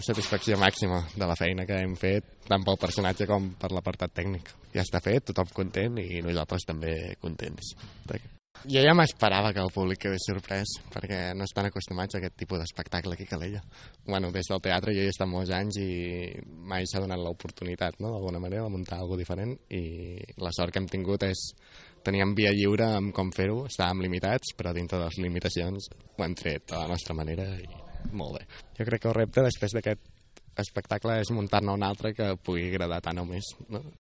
Satisfacció màxima de la feina que hem fet, tant pel personatge com per l'apartat tècnic. Ja està fet, tothom content i nosaltres també contents. Jo ja m'esperava que el públic quedés sorprès, perquè no estan acostumats a aquest tipus d'espectacle aquí a Calella. Bueno, des del teatre jo he estat molts anys i mai s'ha donat l'oportunitat, no?, d'alguna manera, de muntar alguna cosa diferent, i la sort que hem tingut és teníem via lliure amb com fer-ho, estàvem limitats, però dintre de les limitacions ho hem tret a la nostra manera i molt bé. Jo crec que el repte després d'aquest espectacle és muntar-ne un altre que pugui agradar tant o més, no?